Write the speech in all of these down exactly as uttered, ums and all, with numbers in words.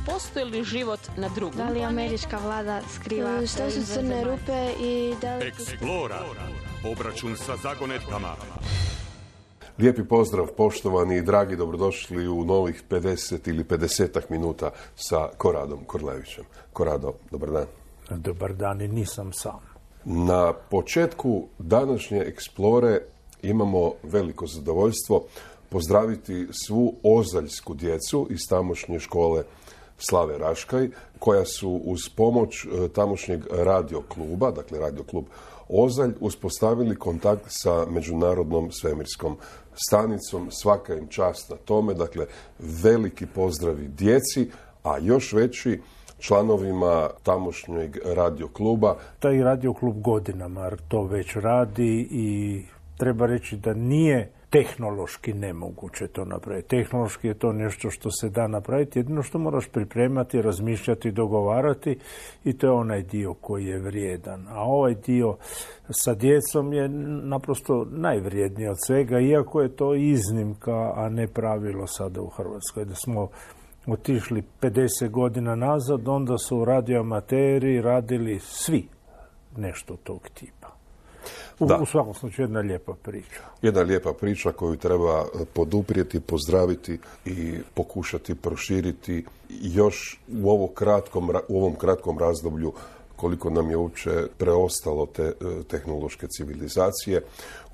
postoji li život na drugom Da li američka vlada skriva šta su crne rupe i da li... Explora. Obračun sa zagonetkama. Lijepi pozdrav, poštovani i dragi, dobrodošli u novih pedeset ili pedesetak minuta sa Koradom Korlevićem. Korado, dobar dan. Dobar dan i nisam sam. Na početku današnje Explore imamo veliko zadovoljstvo pozdraviti svu ozaljsku djecu iz tamošnje škole Slave Raškaj, koja su uz pomoć tamošnjeg radio kluba, dakle radio klub Ozalj, uspostavili kontakt sa Međunarodnom svemirskom stanicom. Svaka im čast na tome, dakle veliki pozdravi djeci, a još veći članovima tamošnjeg radio kluba. Taj radio klub godinama to već radi i treba reći da nije tehnološki nemoguće to napraviti. Tehnološki je to nešto što se da napraviti, jedino što moraš pripremati, razmišljati, dogovarati i to je onaj dio koji je vrijedan. A ovaj dio sa djecom je naprosto najvrijedniji od svega, iako je to iznimka, a ne pravilo sada u Hrvatskoj. Da smo otišli pedeset godina nazad, onda su radioamateri radili svi nešto tog tipa. U, u svakom slučaju jedna lijepa priča. Jedna lijepa priča koju treba poduprijeti, pozdraviti i pokušati proširiti još u, ovo kratkom, u ovom kratkom razdoblju koliko nam je uopće preostalo te tehnološke civilizacije.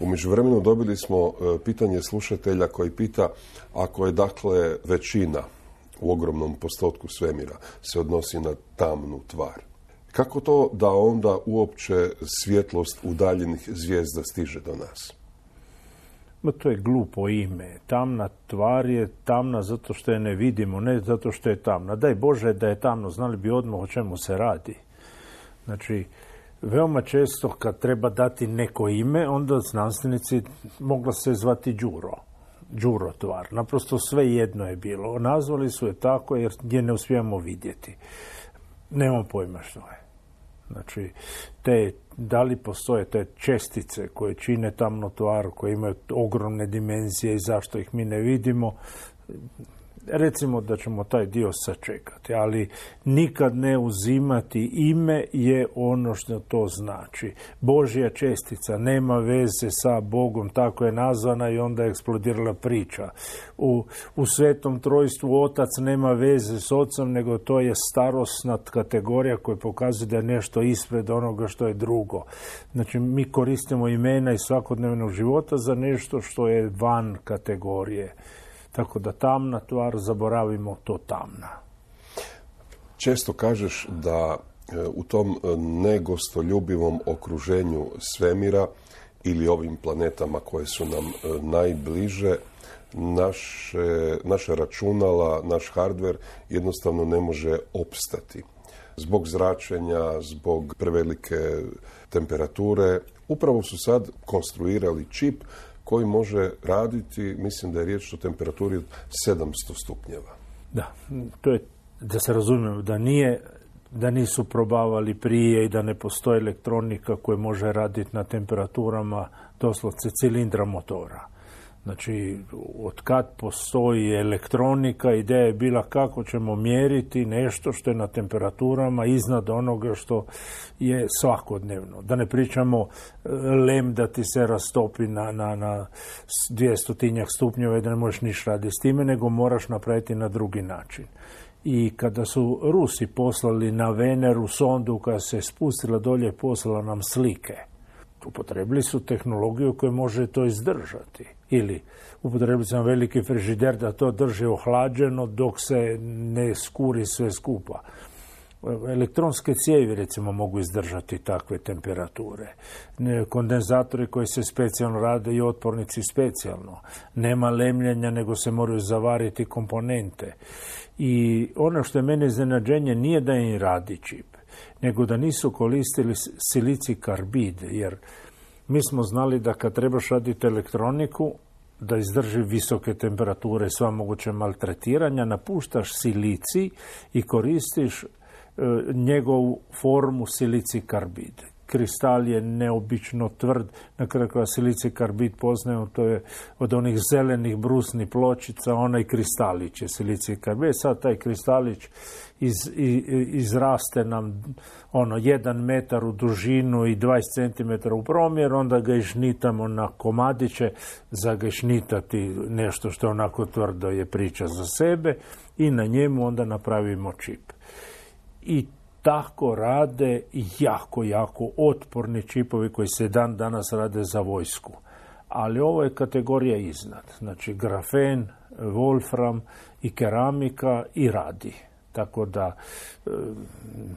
U međuvremenu dobili smo pitanje slušatelja koji pita, ako je dakle većina u ogromnom postotku svemira se odnosi na tamnu tvar, kako to da onda uopće svjetlost udaljenih zvijezda stiže do nas? Ma to je glupo ime. Tamna tvar je tamna zato što je ne vidimo, ne zato što je tamna. Daj Bože da je tamno, znali bi odmah o čemu se radi. Znači, veoma često kad treba dati neko ime, onda znanstvenici mogla se zvati Đuro. Đuro tvar. Naprosto sve jedno je bilo. Nazvali su je tako jer je ne uspijemo vidjeti. Nemam pojma što je. Znači, te, da li postoje te čestice koje čine tamnu tvar, koje imaju ogromne dimenzije i zašto ih mi ne vidimo, recimo da ćemo taj dio sačekati, ali nikad ne uzimati ime je ono što to znači. Božja čestica nema veze sa Bogom, tako je nazvana i onda je eksplodirala priča. U, u Svetom Trojstvu Otac nema veze s Ocem, nego to je starosna kategorija koja pokazuje da je nešto ispred onoga što je drugo. Znači, mi koristimo imena iz svakodnevnog života za nešto što je van kategorije. Tako da tamna tvar, zaboravimo to tamna. Često kažeš da u tom negostoljubivom okruženju svemira ili ovim planetama koje su nam najbliže, naše, naše računala, naš hardver jednostavno ne može opstati. Zbog zračenja, zbog prevelike temperature. Upravo su sad konstruirali čip koji može raditi, mislim da je riječ o temperaturi sedamsto stupnjeva. Da, to je, da se razumijemo, da nije, da nisu probavali prije i da ne postoji elektronika koja može raditi na temperaturama doslovce cilindra motora. Znači, od kad postoji elektronika, ideja je bila kako ćemo mjeriti nešto što je na temperaturama iznad onoga što je svakodnevno. Da ne pričamo lem da ti se rastopi na, na, na dvjestotinjak stupnjeva i da ne možeš niš raditi s time, nego moraš napraviti na drugi način. I kada su Rusi poslali na Veneru sondu koja se spustila dolje, poslala nam slike. Upotrebili su tehnologiju koja može to izdržati. Ili upotrebili su nam veliki frižider da to drži ohlađeno dok se ne skuri sve skupa. Elektronske cijevi, recimo, mogu izdržati takve temperature. Kondenzatori koji se specijalno rade i otpornici specijalno. Nema lemljenja, nego se moraju zavariti komponente. I ono što je mene iznenađenje nije da im radi čip, nego da nisu koristili silici karbid, jer mi smo znali da kad trebaš raditi elektroniku, da izdrži visoke temperature, sva moguće maltretiranja, napuštaš silici i koristiš e, njegovu formu silici karbid. kristal je neobično tvrd, na kraju koja silicij karbid poznajemo, to je od onih zelenih brusnih pločica, onaj kristalić je silicij karbid. Sad taj kristalić iz, iz, izraste nam ono jedan metar u dužinu i dvadeset centimetara u promjer, onda ga ižnitamo na komadiće. Za ga ižnitati nešto što je onako tvrdo je priča za sebe i na njemu onda napravimo čip. I tako rade jako, jako otporni čipovi koji se dan danas rade za vojsku. Ali ovo je kategorija iznad. Znači grafen, wolfram i keramika i radi. Tako da e,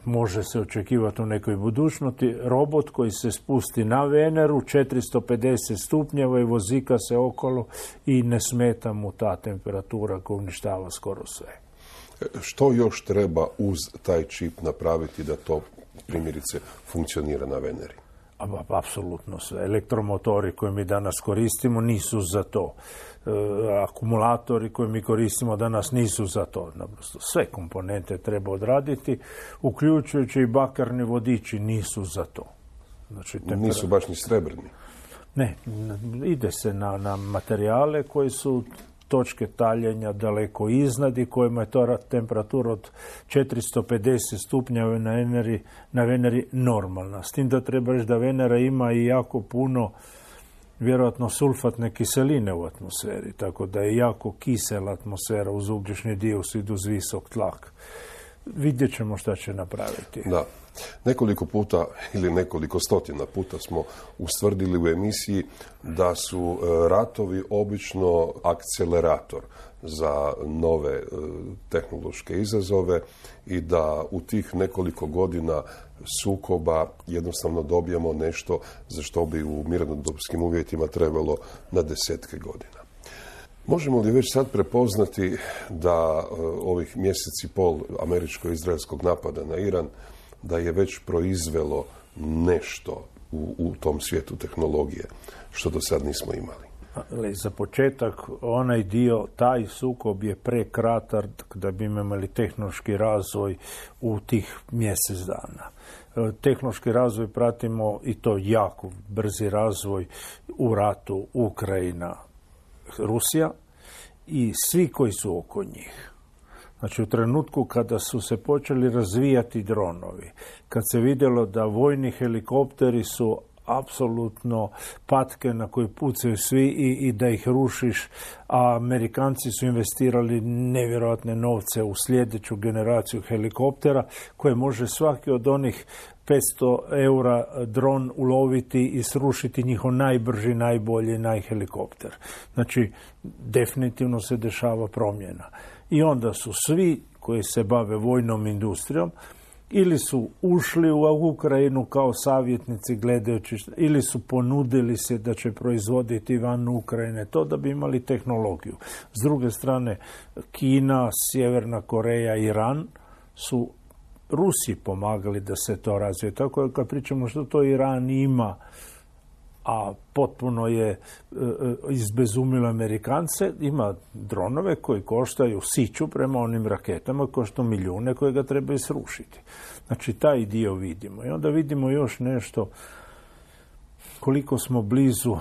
može se očekivati u nekoj budućnosti robot koji se spusti na Veneru, četiristo pedeset stupnjeva i vozika se okolo i ne smeta mu ta temperatura koja uništava skoro sve. Što još treba uz taj čip napraviti da to primjerice funkcionira na Veneri? Apsolutno sve. Elektromotori koje mi danas koristimo nisu za to. E, akumulatori koje mi koristimo danas nisu za to. Naprosto sve komponente treba odraditi, uključujući i bakarni vodiči nisu za to. Znači, tempera... Nisu baš ni srebrni. Ne, ide se na, na materijale koji su točke taljenja daleko iznad i kojima je to temperatura od četiristo pedeset stupnjeva na Veneri, na Veneri normalna. S tim da treba reći da Venera ima i jako puno vjerojatno sulfatne kiseline u atmosferi, tako da je jako kisela atmosfera uz ugljični dioksid uz visok tlak. Vidjet ćemo šta će napraviti. Da. Nekoliko puta ili nekoliko stotina puta smo ustvrdili u emisiji da su ratovi obično akcelerator za nove tehnološke izazove i da u tih nekoliko godina sukoba jednostavno dobijemo nešto za što bi u mirnodopskim uvjetima trebalo na desetke godina. Možemo li već sad prepoznati da ovih mjesec i pol američko-izraelskog napada na Iran da je već proizvelo nešto u, u tom svijetu tehnologije, što do sad nismo imali? Ali za početak, onaj dio, taj sukob je prekratak da bi imali tehnološki razvoj u tih mjesec dana. Tehnološki razvoj pratimo i to jako brzi razvoj u ratu Ukrajina, Rusija i svi koji su oko njih. Znači u trenutku kada su se počeli razvijati dronovi, kad se vidjelo da vojni helikopteri su apsolutno patke na koje pucaju svi i, i da ih rušiš, a Amerikanci su investirali nevjerojatne novce u sljedeću generaciju helikoptera koje može svaki od onih petsto eura dron uloviti i srušiti njihov najbrži, najbolji najhelikopter. Znači, definitivno se dešava promjena. I onda su svi koji se bave vojnom industrijom ili su ušli u Ukrajinu kao savjetnici gledajući, ili su ponudili se da će proizvoditi van Ukrajine to da bi imali tehnologiju. S druge strane, Kina, Sjeverna Koreja, Iran su Rusiji pomagali da se to razvije. Tako da kad pričamo što to Iran ima, a potpuno je e, izbezumilo Amerikance, ima dronove koji koštaju siću prema onim raketama, koštaju milijune koje ga trebaju srušiti. Znači, taj dio vidimo. I onda vidimo još nešto, koliko smo blizu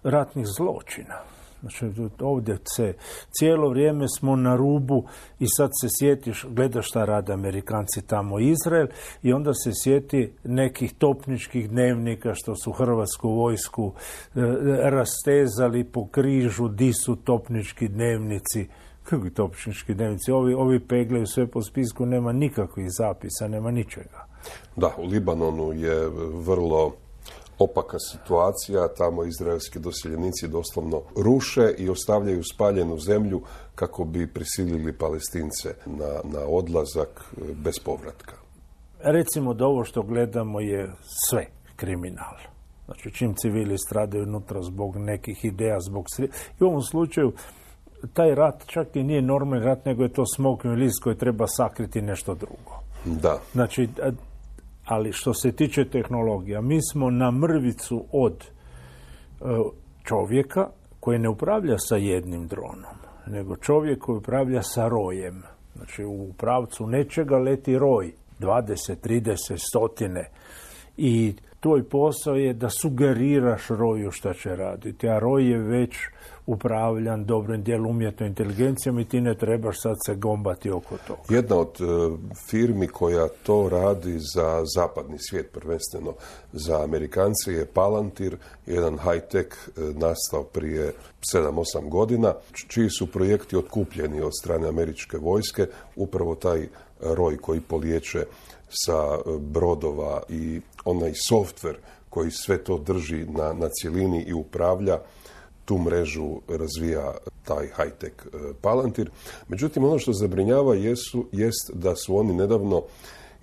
ratnih zločina. Znači, ovdje se cijelo vrijeme smo na rubu i sad se sjetiš, gledaš šta rade Amerikanci tamo Izrael i onda se sjeti nekih topničkih dnevnika što su hrvatsku vojsku e, rastezali po križu, di su topnički dnevnici. Kakvi topnički dnevnici? Ovi, ovi peglaju sve po spisku, nema nikakvih zapisa, nema ničega. Da, u Libanonu je vrlo opaka situacija, tamo izraelski doseljenici doslovno ruše i ostavljaju spaljenu zemlju kako bi prisilili Palestince na, na odlazak bez povratka. Recimo da ovo što gledamo je sve kriminal. Znači čim civili stradaju unutra zbog nekih ideja, zbog sri... I u ovom slučaju taj rat čak i nije normalni rat, nego je to smokvin list koji treba sakriti nešto drugo. Da. Znači, ali što se tiče tehnologija, mi smo na mrvicu od čovjeka koji ne upravlja sa jednim dronom, nego čovjek koji upravlja sa rojem. Znači u pravcu nečega leti roj, dvadeset, trideset, stotine. I tvoj posao je da sugeriraš roju šta će raditi, a roj je već upravljan dobrim dijelu umjetnom inteligencijom i ti ne trebaš sad se gombati oko toga. Jedna od uh, firmi koja to radi za zapadni svijet, prvenstveno za Amerikance, je Palantir, jedan high-tech uh, nastao prije sedam osam godina, čiji su projekti otkupljeni od strane američke vojske, upravo taj roj koji poliječe sa brodova i onaj softver koji sve to drži na, na cjelini i upravlja, tu mrežu razvija taj high-tech Palantir. Međutim, ono što zabrinjava jesu, jest da su oni nedavno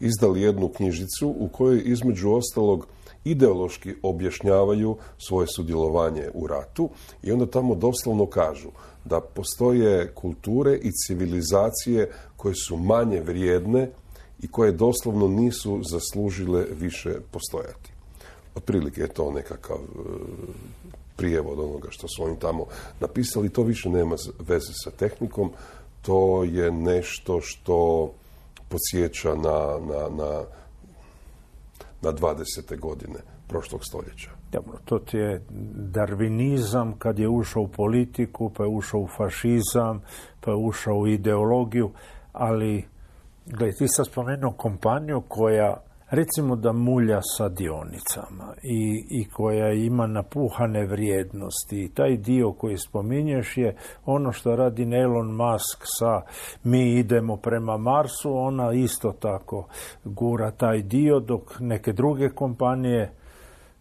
izdali jednu knjižicu u kojoj između ostalog ideološki objašnjavaju svoje sudjelovanje u ratu i onda tamo doslovno kažu da postoje kulture i civilizacije koje su manje vrijedne i koje doslovno nisu zaslužile više postojati. Otprilike je to nekakav prijevod onoga što su oni tamo napisali. To više nema veze sa tehnikom, to je nešto što podsjeća na, na, na, na dvadesete godine prošlog stoljeća. Dobro, to ti je darvinizam kad je ušao u politiku, pa je ušao u fašizam, pa je ušao u ideologiju, ali gledaj, ti sad spomenuo kompaniju koja recimo da mulja sa dionicama i, i koja ima napuhane vrijednosti. I taj dio koji spominješ je ono što radi Elon Musk sa mi idemo prema Marsu, ona isto tako gura taj dio, dok neke druge kompanije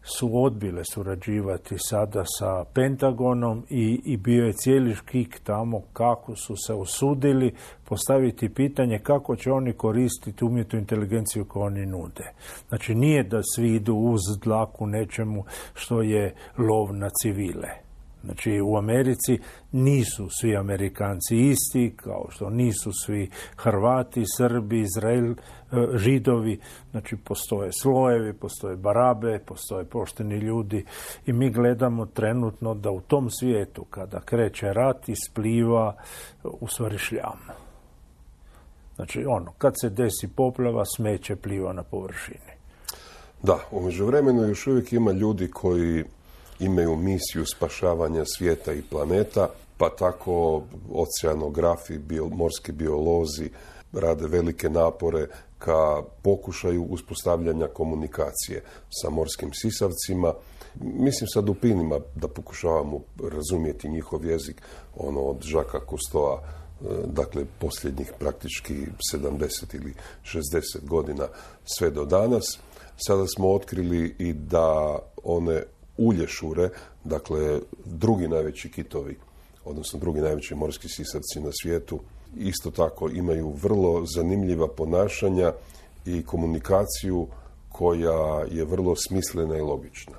su odbile surađivati sada sa Pentagonom i, i bio je cijeli škik tamo kako su se usudili postaviti pitanje kako će oni koristiti umjetnu inteligenciju koju oni nude. Znači nije da svi idu uz dlaku nečemu što je lov na civile. Znači u Americi nisu svi Amerikanci isti, kao što nisu svi Hrvati, Srbi, Izrael, Židovi. Znači postoje slojevi, postoje barabe, postoje pošteni ljudi i mi gledamo trenutno da u tom svijetu kada kreće rat ispliva u stvari šljam. Znači ono, kad se desi poplava, smeće pliva na površini. Da, u međuvremenu još uvijek ima ljudi koji imaju misiju spašavanja svijeta i planeta, pa tako oceanografi, bio, morski biolozi rade velike napore ka pokušaju uspostavljanja komunikacije sa morskim sisavcima. Mislim sa dupinima da pokušavamo razumjeti njihov jezik, ono od Žaka Kustoa, dakle posljednjih praktički sedamdeset ili šezdeset godina sve do danas. Sada smo otkrili i da one ulješure, dakle drugi najveći kitovi, odnosno drugi najveći morski sisavci na svijetu, isto tako imaju vrlo zanimljiva ponašanja i komunikaciju koja je vrlo smislena i logična.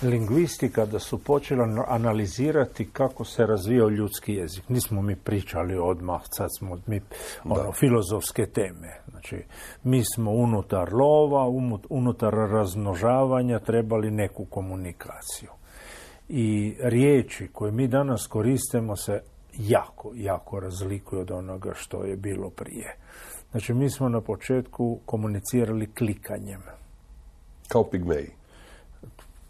Lingvisti kada su počeli analizirati kako se razvijao ljudski jezik, nismo mi pričali odmah, sad smo mi ono, filozofske teme. Znači, mi smo unutar lova, unutar razmnožavanja trebali neku komunikaciju. I riječi koje mi danas koristimo se jako, jako razlikuju od onoga što je bilo prije. Znači, mi smo na početku komunicirali klikanjem. Kao pigmeji.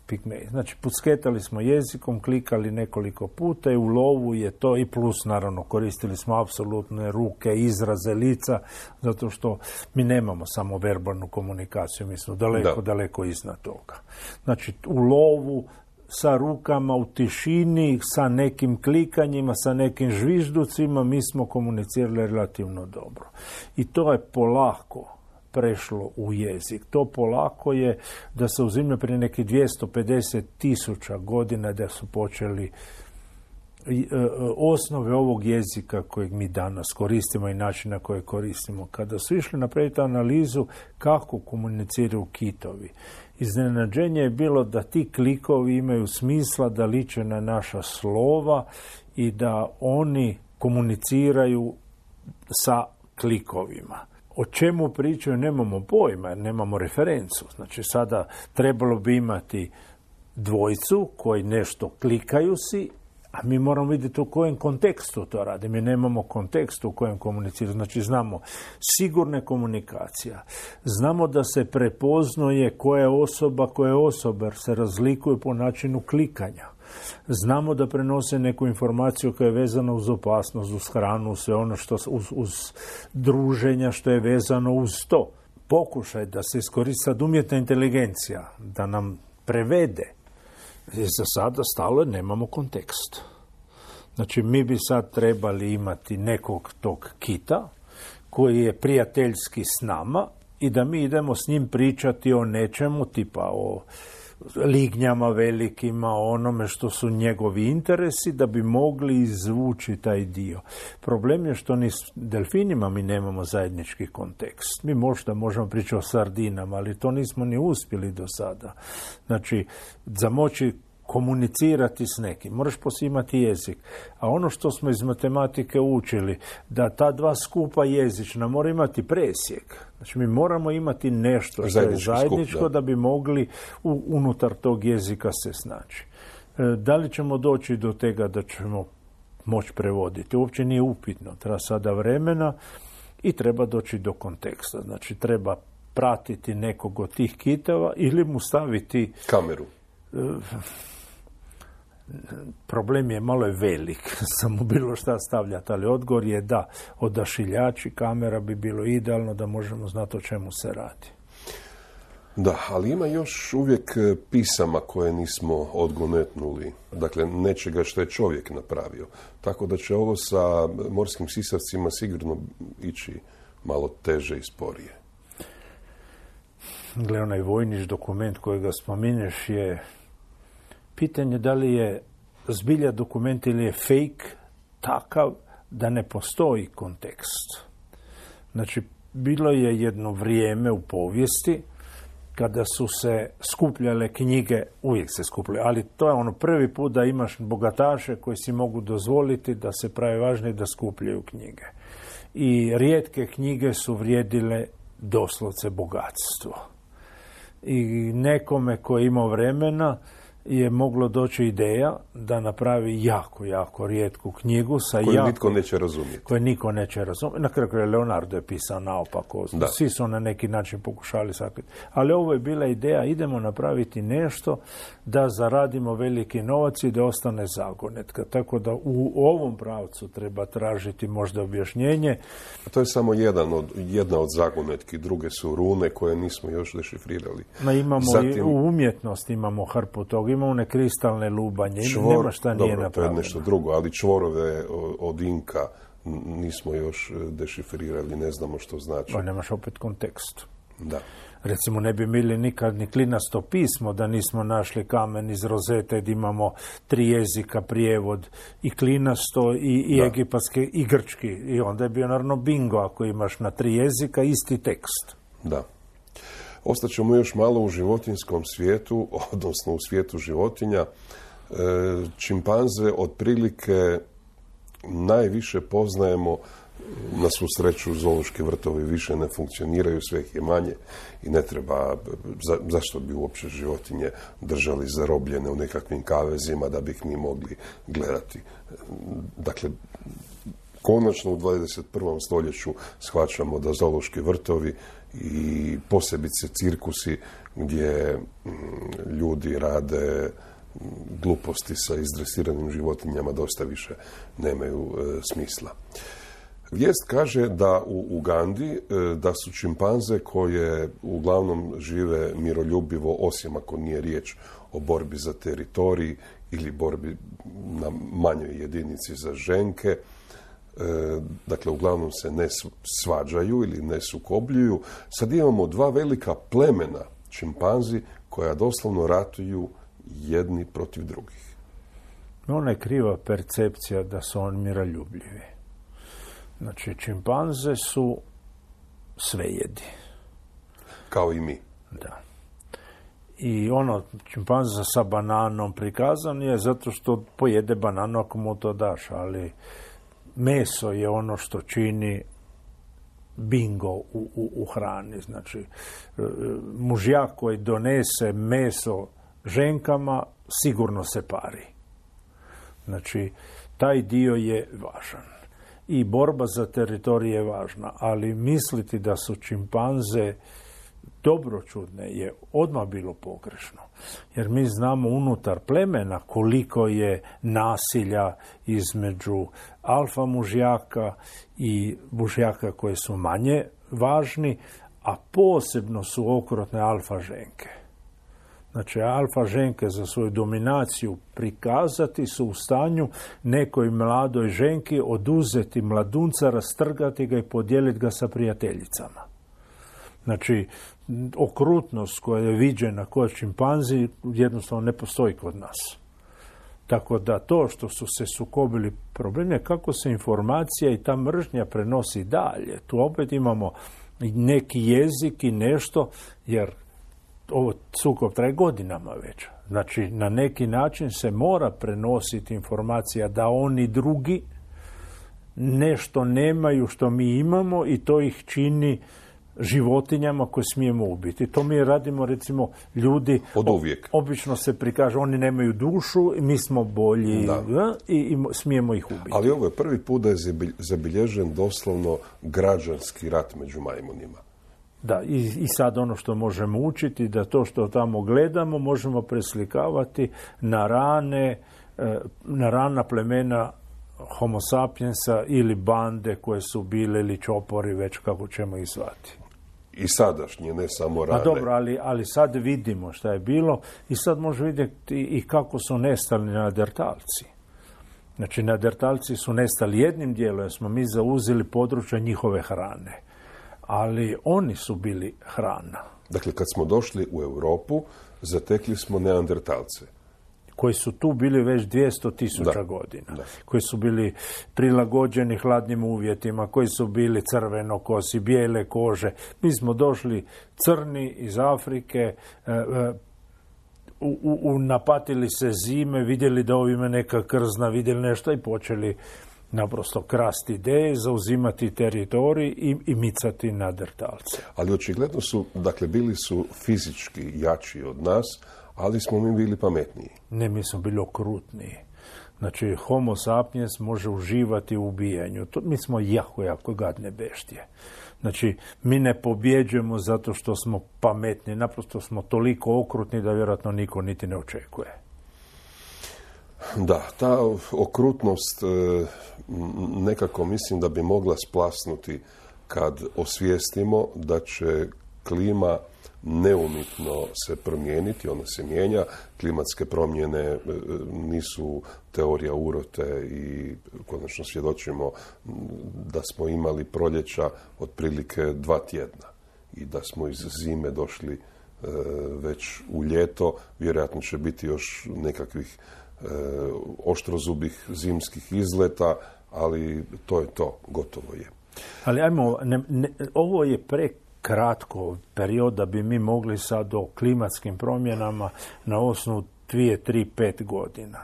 Pigmeji. Znači, pucketali smo jezikom, klikali nekoliko puta i u lovu je to, i plus naravno koristili smo apsolutne ruke, izraze, lica, zato što mi nemamo samo verbalnu komunikaciju, mi smo daleko, da. daleko iznad toga. Znači, u lovu sa rukama u tišini, sa nekim klikanjima, sa nekim žvižducima, mi smo komunicirali relativno dobro. I to je polako prešlo u jezik. To polako je da se uzimlja prije nekih dvjesto pedeset tisuća godina da su počeli osnove ovog jezika kojeg mi danas koristimo i način na koji koristimo. Kada su išli napraviti analizu kako komuniciraju kitovi, iznenađenje je bilo da ti klikovi imaju smisla, da liče na naša slova i da oni komuniciraju sa klikovima. O čemu pričaju nemamo pojma, jer nemamo referencu. Znači sada trebalo bi imati dvojcu koji nešto klikaju si, A mi moramo vidjeti u kojem kontekstu to radi. Mi nemamo kontekst u kojem komuniciramo. Znači znamo sigurne komunikacija. Znamo da se prepoznaje koja je osoba, koja je osoba, jer se razlikuje po načinu klikanja. Znamo da prenose neku informaciju koja je vezana uz opasnost, uz hranu, sve ono što uz, uz druženja što je vezano uz to. Pokušaj da se iskoristi sad umjetna inteligencija, da nam prevede. Za sada stalo nemamo kontekst. Znači, mi bi sad trebali imati nekog tog kita koji je prijateljski s nama i da mi idemo s njim pričati o nečemu, tipa o lignjama velikima, o onome što su njegovi interesi, da bi mogli izvući taj dio. Problem je što ni s delfinima mi nemamo zajednički kontekst. Mi možda možemo pričati o sardinama, ali to nismo ni uspjeli do sada. Znači, za moći komunicirati s nekim, moraš poslije imati jezik. A ono što smo iz matematike učili, da ta dva skupa jezična mora imati presjek. Znači mi moramo imati nešto što je zajedničko skup, da. da bi mogli u, unutar tog jezika se snaći. E, da li ćemo doći do tega da ćemo moći prevoditi? Uopće nije upitno. Treba sada vremena i treba doći do konteksta. Znači treba pratiti nekog od tih kitova ili mu staviti kameru. E, problem je malo je velik, samo bilo šta stavljati, ali odgovor je da odašiljači kamera bi bilo idealno da možemo znati o čemu se radi. Da, ali ima još uvijek pisama koje nismo odgonetnuli, dakle nečega što je čovjek napravio. Tako da će ovo sa morskim sisavcima sigurno ići malo teže i sporije. Gle, onaj vojniš dokument kojega spominješ je pitanje da li je zbilja dokument ili je fake takav da ne postoji kontekst. Znači, bilo je jedno vrijeme u povijesti kada su se skupljale knjige, uvijek se skupljaju, ali to je ono prvi put da imaš bogataše koji si mogu dozvoliti da se pravi važni da skupljaju knjige. I rijetke knjige su vrijedile doslovce bogatstvo. I nekome koji je imao vremena je moglo doći ideja da napravi jako, jako rijetku knjigu sa koju jako, nitko neće razumjeti. Koju niko neće razumjeti. Na kraju Leonardo je pisao naopako. Da. Svi su na neki način pokušali sakriti. Ali ovo je bila ideja, idemo napraviti nešto da zaradimo veliki novac i da ostane zagonetka. Tako da u ovom pravcu treba tražiti možda objašnjenje. A to je samo jedan od, jedna od zagonetki. Druge su rune koje nismo još dešifrirali. Ma imamo Zatim, i u umjetnosti imamo hrpu toga. Imamo one kristalne lubanje, čvor, nema šta nije dobro, napravljeno. To je nešto drugo, ali čvorove od Inka nismo još dešifrirali, ne znamo što znači. Pa nemaš opet kontekst. Da. Recimo, ne bi bili nikad ni klinasto pismo da nismo našli kamen iz rozete gdje imamo tri jezika, prijevod i klinasto i, i egipatski i grčki. I onda je bio naravno bingo ako imaš na tri jezika isti tekst. Da. Ostaćemo još malo u životinjskom svijetu, odnosno u svijetu životinja. Čimpanze otprilike najviše poznajemo, na svu sreću zoološki vrtovi više ne funkcioniraju, sve ih je manje i ne treba, za, zašto bi uopće životinje držali zarobljene u nekakvim kavezima da bi ih mi mogli gledati. Dakle, konačno u dvadeset prvom stoljeću shvaćamo da zoološki vrtovi i posebice cirkusi gdje ljudi rade gluposti sa izdresiranim životinjama dosta više nemaju e, smisla. Vijest kaže da u Ugandi e, da su čimpanze koje uglavnom žive miroljubivo, osim ako nije riječ o borbi za teritorij ili borbi na manjoj jedinici za ženke, e, dakle uglavnom se ne svađaju ili ne sukobljuju. Sad imamo dva velika plemena čimpanzi koja doslovno ratuju jedni protiv drugih. Ona je kriva percepcija da su oni miroljubljivi. Znači, čimpanze su svejedi. Kao i mi. Da. I ono, čimpanza sa bananom prikazan je zato što pojede bananu ako mu to daš, ali meso je ono što čini bingo u, u, u hrani. Znači, mužjak koji donese meso ženkama sigurno se pari. Znači, taj dio je važan. I borba za teritorij je važna, ali misliti da su čimpanze dobročudne je odmah bilo pogrešno. Jer mi znamo unutar plemena koliko je nasilja između alfa mužjaka i mužjaka koji su manje važni, a posebno su okrutne alfa ženke. Znači, alfa ženke za svoju dominaciju prikazati su u stanju nekoj mladoj ženki oduzeti mladunca, rastrgati ga i podijeliti ga sa prijateljicama. Znači, okrutnost koja je viđena kod čimpanzi jednostavno ne postoji kod nas. Tako da to što su se sukobili problem je kako se informacija i ta mržnja prenosi dalje. Tu opet imamo neki jezik i nešto, jer ovo sukob traje godinama već. Znači, na neki način se mora prenositi informacija da oni drugi nešto nemaju što mi imamo i to ih čini životinjama koje smijemo ubiti. To mi radimo, recimo, ljudi od uvijek. Obično se prikaže, oni nemaju dušu, mi smo bolji da. I, i smijemo ih ubiti. Ali ovo je prvi put da je zabilježen doslovno građanski rat među majmunima. Da, i, i sad ono što možemo učiti, da to što tamo gledamo možemo preslikavati na rane, na rana plemena Homo sapiensa ili bande koje su bile ili čopori, već kako ćemo ih zvati. I sadašnje, ne samo rane. A dobro, ali, ali sad vidimo šta je bilo i sad možemo vidjeti i kako su nestali neandertalci. Znači, neandertalci su nestali jednim dijelom, jer smo mi zauzeli područje njihove hrane. Ali oni su bili hrana. Dakle, kad smo došli u Europu, zatekli smo neandertalce. Koji su tu bili već dvjesto tisuća godina. Da. Koji su bili prilagođeni hladnim uvjetima, koji su bili crvenokosi, bijele kože. Mi smo došli crni iz Afrike, e, e, u, u, u, napatili se zime, vidjeli da ovime neka krzna, vidjeli nešto i počeli naprosto krasti ideje, zauzimati teritorij i, i micati neandertalce. Ali očigledno su, dakle, bili su fizički jači od nas, ali smo mi bili pametniji. Ne, mi smo bili okrutniji. Znači, Homo sapiens može uživati u ubijanju. To, mi smo jako, jako gadne beštije. Znači, mi ne pobjeđujemo zato što smo pametni. Naprosto smo toliko okrutni da vjerojatno niko niti ne očekuje. Da, ta okrutnost nekako mislim da bi mogla splasnuti kad osvijestimo da će klima neumitno se promijeniti, ona se mijenja. Klimatske promjene nisu teorija urote i konačno svjedočimo da smo imali proljeća otprilike dva tjedna i da smo iz zime došli već u ljeto. Vjerojatno će biti još nekakvih oštrozubih zimskih izleta, ali to je to, gotovo je. Ali ajmo, ne, ne, ovo je prekratko period da bi mi mogli sad o klimatskim promjenama na osnovu dvije, tri, pet godina.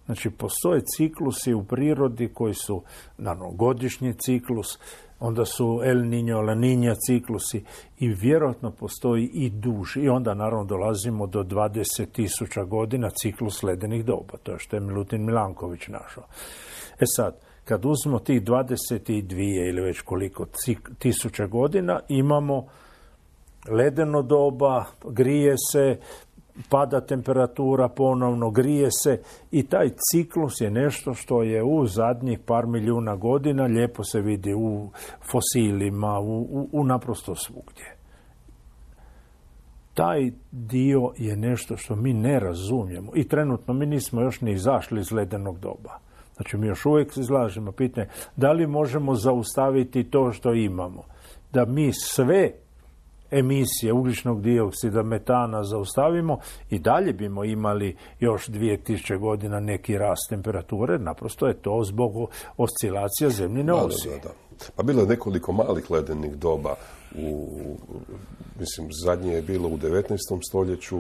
Znači, postoje ciklusi u prirodi koji su, naravno, godišnji ciklus, onda su El Niño, La Niña ciklusi i vjerojatno postoji i duži. I onda, naravno, dolazimo do dvadeset tisuća godina ciklus ledenih doba. To je što je Milutin Milanković našao. E sad, kad uzmemo tih dvadeset dvije ili već koliko tisuća godina, imamo ledeno doba, grije se, pada temperatura ponovno, grije se i taj ciklus je nešto što je u zadnjih par milijuna godina lijepo se vidi u fosilima, u, u, u naprosto svugdje. Taj dio je nešto što mi ne razumijemo i trenutno mi nismo još ni izašli iz ledenog doba. Znači, mi još uvijek izlažemo pitanje da li možemo zaustaviti to što imamo. Da mi sve emisije ugljičnog dioksida, metana zaustavimo i dalje bimo imali još dvije tisuće godina neki rast temperature. Naprosto je to zbog oscilacija zemljine osi. Da, da, da. Pa bilo je nekoliko malih ledenih doba. U, mislim, zadnje je bilo u devetnaestom stoljeću,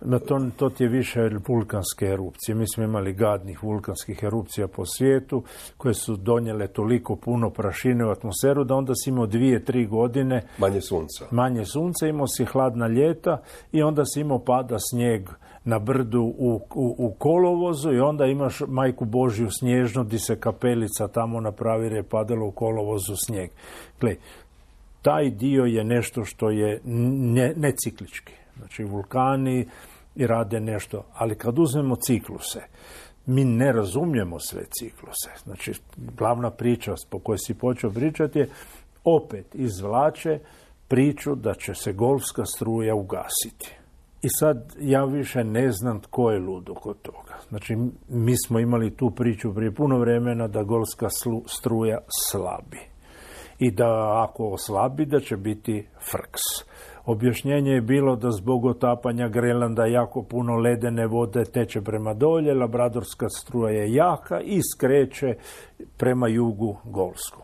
No, to, to ti je više vulkanske erupcije. Mi smo imali gadnih vulkanskih erupcija po svijetu koje su donijele toliko puno prašine u atmosferu da onda si imao dvije, tri godine manje sunca. Manje sunca, imao si hladna ljeta i onda si imao pada snijeg na brdu u, u, u kolovozu i onda imaš Majku Božju snježnu di se kapelica tamo napravi jer je padalo u kolovozu snijeg. Gle, taj dio je nešto što je ne, neciklički. Znači vulkani i rade nešto, ali kad uzmemo cikluse, mi ne razumijemo sve cikluse. Znači, glavna priča po kojoj si počeo pričati je opet izvlače priču da će se golfska struja ugasiti. I sad ja više ne znam tko je ludo kod toga. Znači, mi smo imali tu priču prije puno vremena da golfska struja slabi. I da ako oslabi, da će biti frks. Objašnjenje je bilo da zbog otapanja Grenlanda jako puno ledene vode teče prema dolje, labradorska struja je jaka i skreće prema jugu golfsku.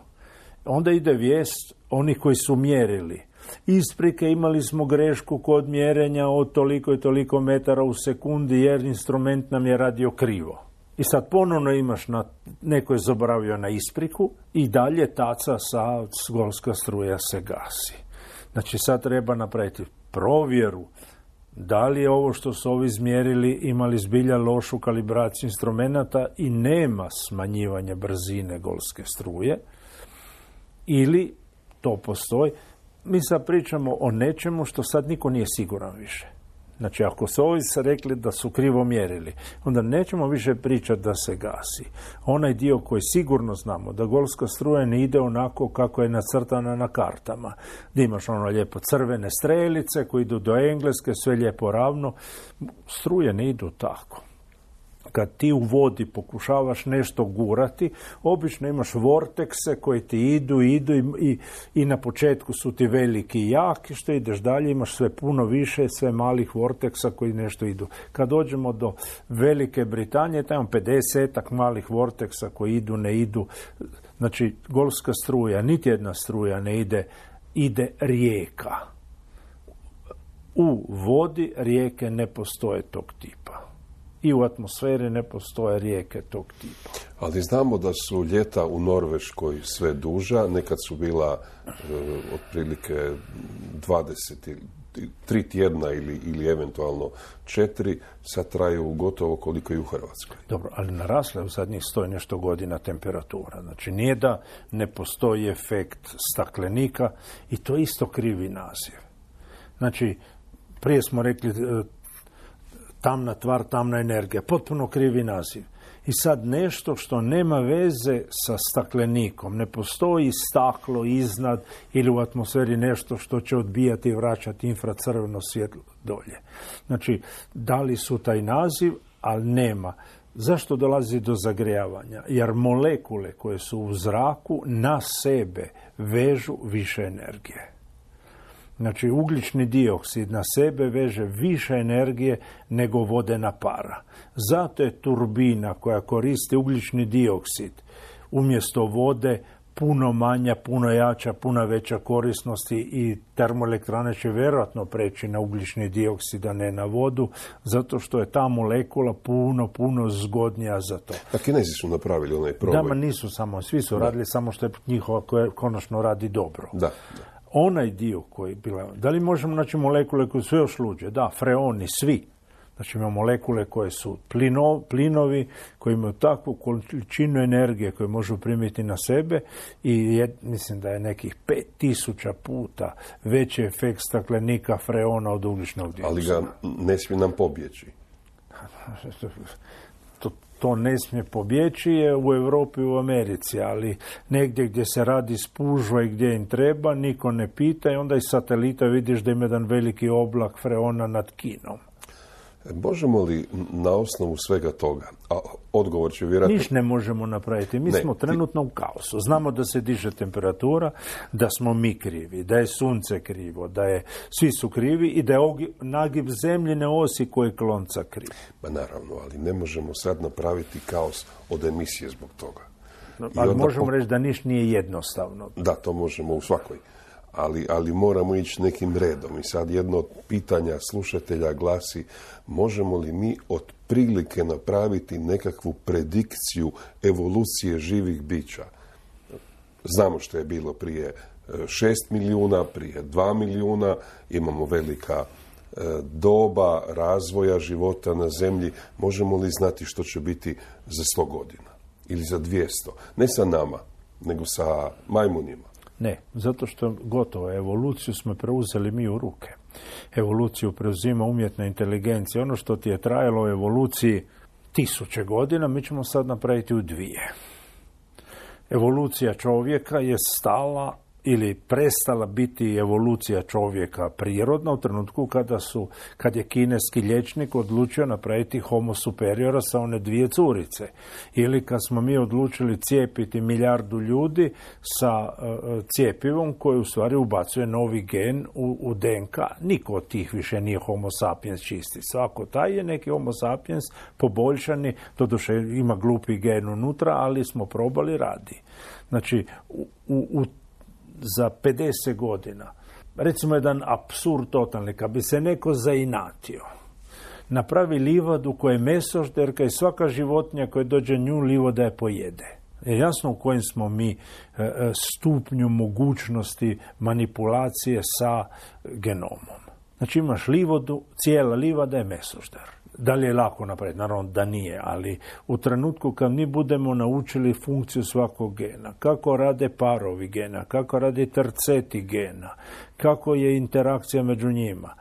Onda ide vijest onih koji su mjerili. Isprike, imali smo grešku kod mjerenja od toliko i toliko metara u sekundi jer instrument nam je radio krivo. I sad ponovno imaš na, neko je zaboravio na ispriku i dalje taca sa golfska struja se gasi. Znači sad treba napraviti provjeru da li je ovo što su ovi izmjerili imali zbilja lošu kalibraciju instrumenata i nema smanjivanja brzine golfske struje ili to postoji. Mi sad pričamo o nečemu što sad niko nije siguran više. Znači, ako su ovi se rekli da su krivo mjerili, onda nećemo više pričati da se gasi. Onaj dio koji sigurno znamo, da golfska struja ne ide onako kako je nacrtana na kartama. Da imaš ono lijepo crvene strelice koji idu do Engleske, sve lijepo ravno. Struje ne idu tako. Kad ti u vodi pokušavaš nešto gurati, obično imaš vortekse koji ti idu, idu i, i, i na početku su ti veliki i jaki, što ideš dalje, imaš sve puno više, sve malih vorteksa koji nešto idu. Kad dođemo do Velike Britanije, tamo pedesetak malih vorteksa koji idu, ne idu. Znači, golfska struja, niti jedna struja ne ide, ide rijeka. U vodi rijeke ne postoje tog tipa. I u atmosferi ne postoje rijeke tog tipa. Ali znamo da su ljeta u Norveškoj sve duža, nekad su bila e, otprilike dvadeset tri tjedna ili, ili eventualno četiri, sad traju gotovo koliko i u Hrvatskoj. Dobro, ali narasla je u zadnjih sto i nešto godina temperatura. Znači nije da ne postoji efekt staklenika i to isto krivi naziv. Znači, prije smo rekli tamna tvar, tamna energija. Potpuno krivi naziv. I sad nešto što nema veze sa staklenikom. Ne postoji staklo iznad ili u atmosferi nešto što će odbijati i vraćati infracrveno svjetlo dolje. Znači, dali su taj naziv, ali nema. Zašto dolazi do zagrijavanja? Jer molekule koje su u zraku na sebe vežu više energije. Znači, ugljični dioksid na sebe veže više energije nego vodena para. Zato je turbina koja koristi ugljični dioksid umjesto vode puno manja, puno jača, puno veća korisnosti i termoelektrane će vjerojatno preći na ugljični dioksid, a ne na vodu, zato što je ta molekula puno, puno zgodnija za to. A Kinezi su napravili onaj proboj. Da, ma nisu samo, svi su da. radili, samo što je njihova koja konačno radi dobro. Da, da. Onaj dio koji je bila... Da li možemo naći molekule koje su još luđe? Da, freoni, svi. Znači imamo molekule koje su plino, plinovi, koji imaju takvu količinu energije koju možu primiti na sebe i je, mislim da je nekih pet tisuća puta veći efekt staklenika freona od ugljičnog dioksida. Ali ga ne smije nam pobjeći. To, to ne smije pobjeći je u Europi i u Americi, ali negdje gdje se radi spužva i gdje im treba, niko ne pita i onda iz satelita vidiš da ima jedan veliki oblak freona nad Kinom. Možemo li na osnovu svega toga, a odgovor će vjerojatno... Niš ne možemo napraviti. Mi ne, smo trenutno u kaosu. Znamo da se diže temperatura, da smo mi krivi, da je sunce krivo, da je svi su krivi i da je nagib zemljine osi koji je klonca kriv. Ma naravno, ali ne možemo sad napraviti kaos od emisije zbog toga. No, ali možemo po... reći da niš nije jednostavno. Da, to možemo u svakoj. ali, ali moramo ići nekim redom. I sad jedno od pitanja slušatelja glasi, možemo li mi otprilike napraviti nekakvu predikciju evolucije živih bića? Znamo što je bilo prije šest milijuna, prije dva milijuna, imamo velika doba razvoja života na zemlji. Možemo li znati što će biti za sto godina ili za dvjesto? Ne sa nama, nego sa majmunima. Ne, zato što gotovo evoluciju smo preuzeli mi u ruke. Evoluciju preuzima umjetna inteligencija. Ono što ti je trajalo u evoluciji tisuće godina, mi ćemo sad napraviti u dvije. Evolucija čovjeka je stala ili prestala biti evolucija čovjeka prirodna u trenutku kada su, kad je kineski liječnik odlučio napraviti homo superiora sa one dvije curice. Ili kad smo mi odlučili cijepiti milijardu ljudi sa uh, cijepivom koje u stvari ubacuje novi gen u, u D N K. Niko od tih više nije homo sapiens čisti. Svako taj je neki homo sapiens poboljšani, doduše ima glupi gen unutra, ali smo probali, radi. Znači, u, u, u za pedeset godina, recimo jedan apsurd totalni, kad bi se neko zainatio, napravi livadu koja je mesožderka i svaka životinja koja dođe nju livoda je pojede. Je jasno u kojem smo mi stupnju mogućnosti manipulacije sa genomom. Znači imaš livodu, cijela livada je mesožder. Da li je lako napraviti? Naravno da nije, ali u trenutku kad mi budemo naučili funkciju svakog gena, kako rade parovi gena, kako rade terceti gena, kako je interakcija među njima,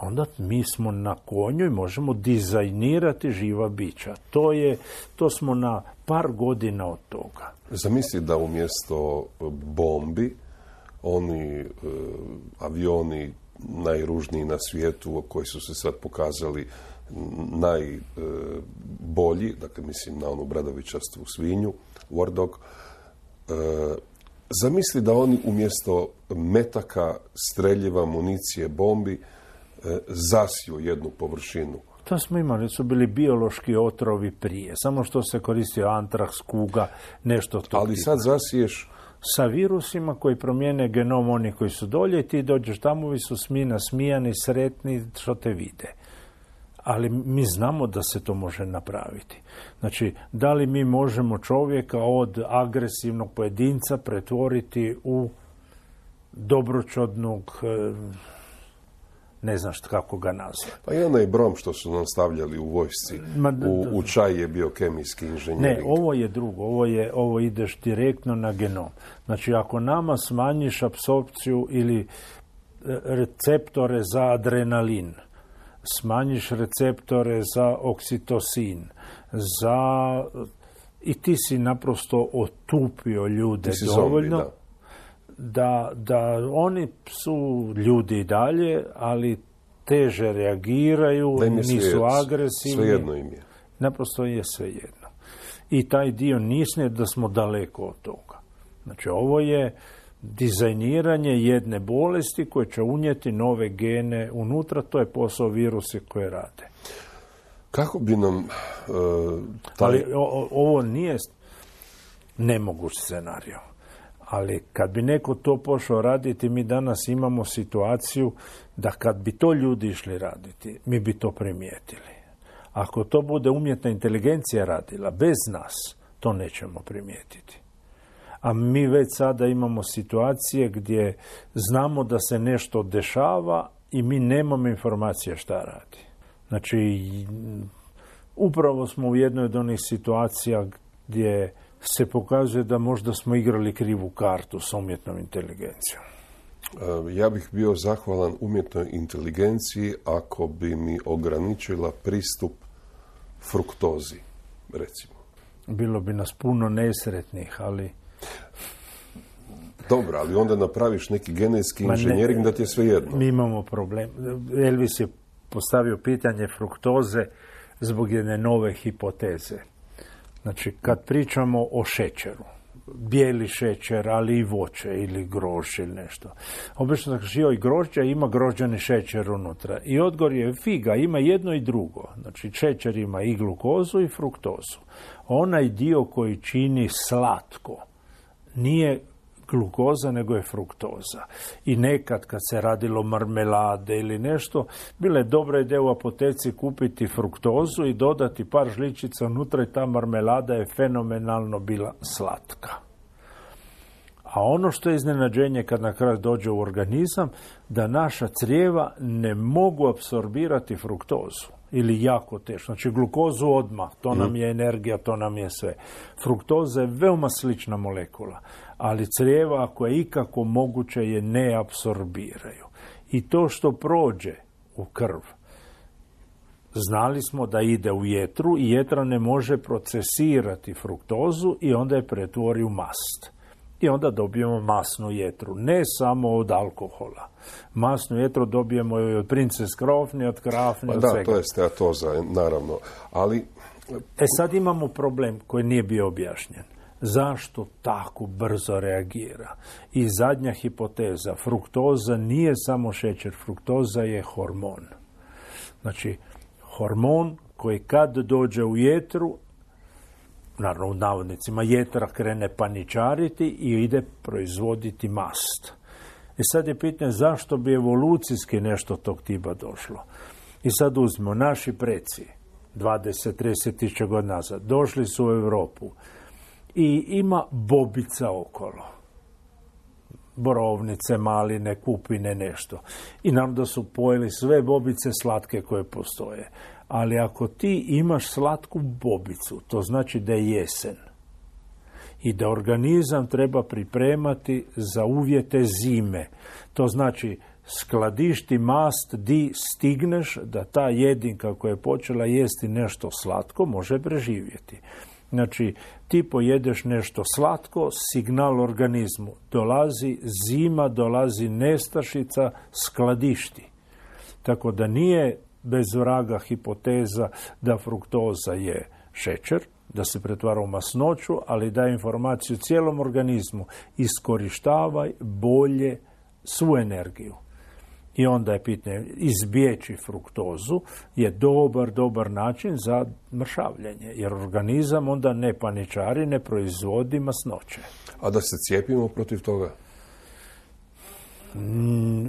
onda mi smo na konju i možemo dizajnirati živa bića. To je, to smo na par godina od toga. Zamisli da umjesto bombi, oni e, avioni najružniji na svijetu, koji su se sad pokazali najbolji, dakle mislim na onu bradavičastu svinju, War Dog, e, zamisli da oni umjesto metaka, streljiva, municije, bombi, e, zasiju jednu površinu. To smo imali, su bili biološki otrovi prije, samo što se koristio antraks, kuga, nešto to. Ali sad zasiješ sa virusima koji promijene genom oni koji su dolje i ti dođeš tamo i su smi nasmijani, sretni što te vide. Ali mi znamo da se to može napraviti. Znači, da li mi možemo čovjeka od agresivnog pojedinca pretvoriti u dobročodnog, ne znam što kako ga nazvati. Pa i onaj brom što su nam stavljali u vojsci, Ma, u, u čaj je bio kemijski inženjering. Ne, ovo je drugo, ovo, je, ovo ideš direktno na genom. Znači, ako nama smanjiš apsorpciju ili receptore za adrenalin, smanjiš receptore za oksitosin, za... i ti si naprosto otupio ljude dovoljno zombi, da. Da, da oni su ljudi i dalje, ali teže reagiraju, nisu svijet, agresivni. Svejedno im je. Naprosto je svejedno. I taj dio nisne da smo daleko od toga. Znači, ovo je dizajniranje jedne bolesti koje će unijeti nove gene unutra, to je posao virusi koje rade. Kako bi nam... Uh, taj... Ali o, ovo nije nemoguć scenario. Ali kad bi neko to pošao raditi, mi danas imamo situaciju da kad bi to ljudi išli raditi, mi bi to primijetili. Ako to bude umjetna inteligencija radila, bez nas, to nećemo primijetiti. A mi već sada imamo situacije gdje znamo da se nešto dešava i mi nemamo informacije šta radi. Znači, upravo smo u jednoj od onih situacija gdje se pokazuje da možda smo igrali krivu kartu s umjetnom inteligencijom. Ja bih bio zahvalan umjetnoj inteligenciji ako bi mi ograničila pristup fruktozi, recimo. Bilo bi nas puno nesretnih, ali... Dobro, ali onda napraviš neki genetski inženjering da ti je sve jedno. Mi imamo problem. Elvis je postavio pitanje fruktoze zbog jedne nove hipoteze. Znači, kad pričamo o šećeru, bijeli šećer, ali i voće ili grožđe ili nešto. Obično da kaže, joj, grožđa ima grožđani šećer unutra. I odgovor je figa, ima jedno i drugo. Znači, šećer ima i glukozu i fruktozu. Onaj dio koji čini slatko nije glukoza, nego je fruktoza. I nekad kad se radilo marmelade ili nešto, bila je dobra ideja u apoteci kupiti fruktozu i dodati par žličica unutra i ta marmelada je fenomenalno bila slatka. A ono što je iznenađenje kad na kraju dođe u organizam, da naša crijeva ne mogu apsorbirati fruktozu. Ili jako teško. Znači glukozu odmah, to nam je energija, to nam je sve. Fruktoza je veoma slična molekula, ali crijeva ako je ikako moguće je ne apsorbiraju. I to što prođe u krv, znali smo da ide u jetru i jetra ne može procesirati fruktozu i onda je pretvori u mast. I onda dobijemo masnu jetru, ne samo od alkohola. Masnu jetru dobijemo i od princes krofni, od krafni, od da, svega. To je steatoza, naravno. Ali... E sad imamo problem koji nije bio objašnjen. Zašto tako brzo reagira? I zadnja hipoteza, fruktoza nije samo šećer, fruktoza je hormon. Znači, hormon koji kad dođe u jetru, naravno u navodnicima, jetra krene paničariti i ide proizvoditi mast. I sad je pitanje zašto bi evolucijski nešto tog tipa došlo. I sad uzmemo, naši preci, dvadeset do trideset tisuća godina nazad, došli su u Europu i ima bobica okolo. Borovnice, maline, kupine, nešto. I nam da su pojeli sve bobice slatke koje postoje. Ali ako ti imaš slatku bobicu, to znači da je jesen. I da organizam treba pripremati za uvjete zime. To znači skladišti mast di stigneš da ta jedinka koja je počela jesti nešto slatko može preživjeti. Znači, ti pojedeš nešto slatko, signal organizmu. Dolazi zima, dolazi nestašica, skladišti. Tako da nije bez vraga hipoteza da fruktoza je šećer, da se pretvara u masnoću, ali daje informaciju cijelom organizmu. Iskorištavaj bolje svu energiju. I onda je pitanje, izbjeći fruktozu je dobar, dobar način za mršavljenje, jer organizam onda ne paničari, ne proizvodi masnoće. A da se cijepimo protiv toga? Mm,